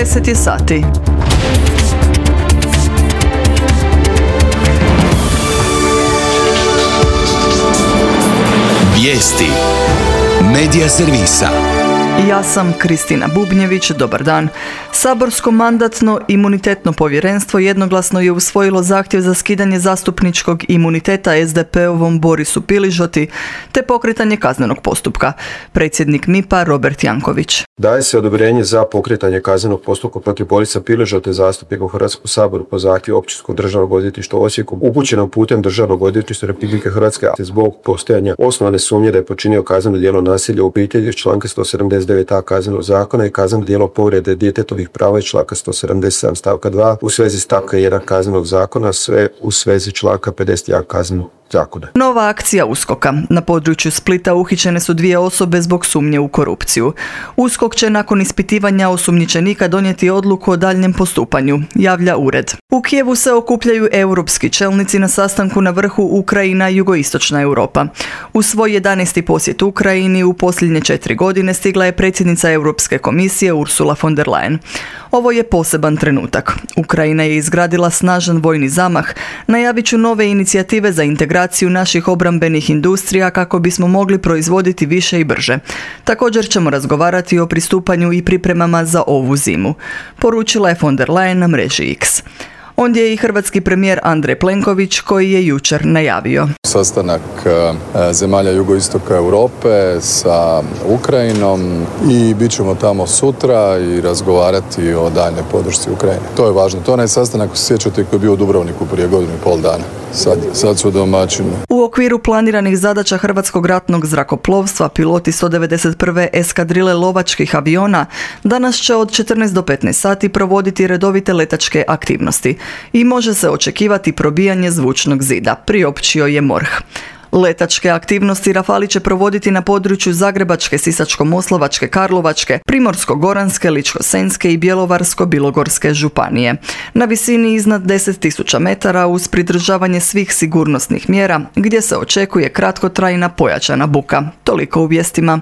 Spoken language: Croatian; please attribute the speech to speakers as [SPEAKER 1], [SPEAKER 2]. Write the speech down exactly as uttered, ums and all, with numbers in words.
[SPEAKER 1] deset je sati.
[SPEAKER 2] Vijesti Medija servisa.
[SPEAKER 1] Ja sam Kristina Bubnjević, dobar dan. Saborsko mandatno-imunitetno povjerenstvo jednoglasno je usvojilo zahtjev za skidanje zastupničkog imuniteta es de pe ovom Borisu Piližoti te pokretanje kaznenog postupka. Predsjednik M I P-a Robert Janković.
[SPEAKER 3] Daje se odobrenje za pokretanje kaznenog postupka protiv Borisa Piližote, zastupnika u Hrvatskom saboru po zahtjevu Općinskog državnog odvjetništva u Osijeku, upućenom putem Državnog odvjetništva Republike Hrvatske zbog postojanja osnovane sumnje da je počinio kazneno djelo nasilja u obitelji iz članka sto sedamdeset devet a Kaznenog zakona i kazneno djelo povrede djetetovih prava iz članka sto sedamdeset sedam stavka dva u svezi stavka jedan Kaznenog zakona, sve u svezi članka pedeset jedan Kaznenog zakona.
[SPEAKER 1] Nova akcija uskoka. Na području Splita uhićene su dvije osobe zbog sumnje u korupciju. USKOK će nakon ispitivanja osumnjičenika donijeti odluku o daljnjem postupanju, javlja ured. U Kijevu se okupljaju europski čelnici na sastanku na vrhu Ukrajina i jugoistočna Europa. U svoj jedanaesti posjet Ukrajini u posljednje četiri godine stigla je predsjednica Europske komisije Ursula von der Leyen. Ovo je poseban trenutak. Ukrajina je izgradila snažan vojni zamah, najavit ću nove inicijative za integraciju naših obrambenih industrija kako bismo mogli proizvoditi više i brže. Također ćemo razgovarati o pristupanju i pripremama za ovu zimu, poručila je von der Leyen na mreži X. Ondje je i hrvatski premijer Andrej Plenković koji je jučer najavio.
[SPEAKER 4] Sastanak zemalja jugoistoka Europe sa Ukrajinom i bit ćemo tamo sutra i razgovarati o daljnjoj podršci Ukrajine. To je važno. To je onaj sastanak, sjećate, koji je bio u Dubrovniku prije godinu i pol dana. Sad, sad su domaćini.
[SPEAKER 1] U okviru planiranih zadaća Hrvatskog ratnog zrakoplovstva piloti sto devedeset prve eskadrile lovačkih aviona danas će od četrnaest do petnaest sati provoditi redovite letačke aktivnosti i može se očekivati probijanje zvučnog zida, priopćio je MORH. Letačke aktivnosti Rafali će provoditi na području Zagrebačke, Sisačko-moslavačke, Karlovačke, Primorsko-goranske, Ličko-senjske i Bjelovarsko-bilogorske županije. Na visini iznad deset tisuća metara uz pridržavanje svih sigurnosnih mjera gdje se očekuje kratkotrajna pojačana buka. Toliko u vijestima.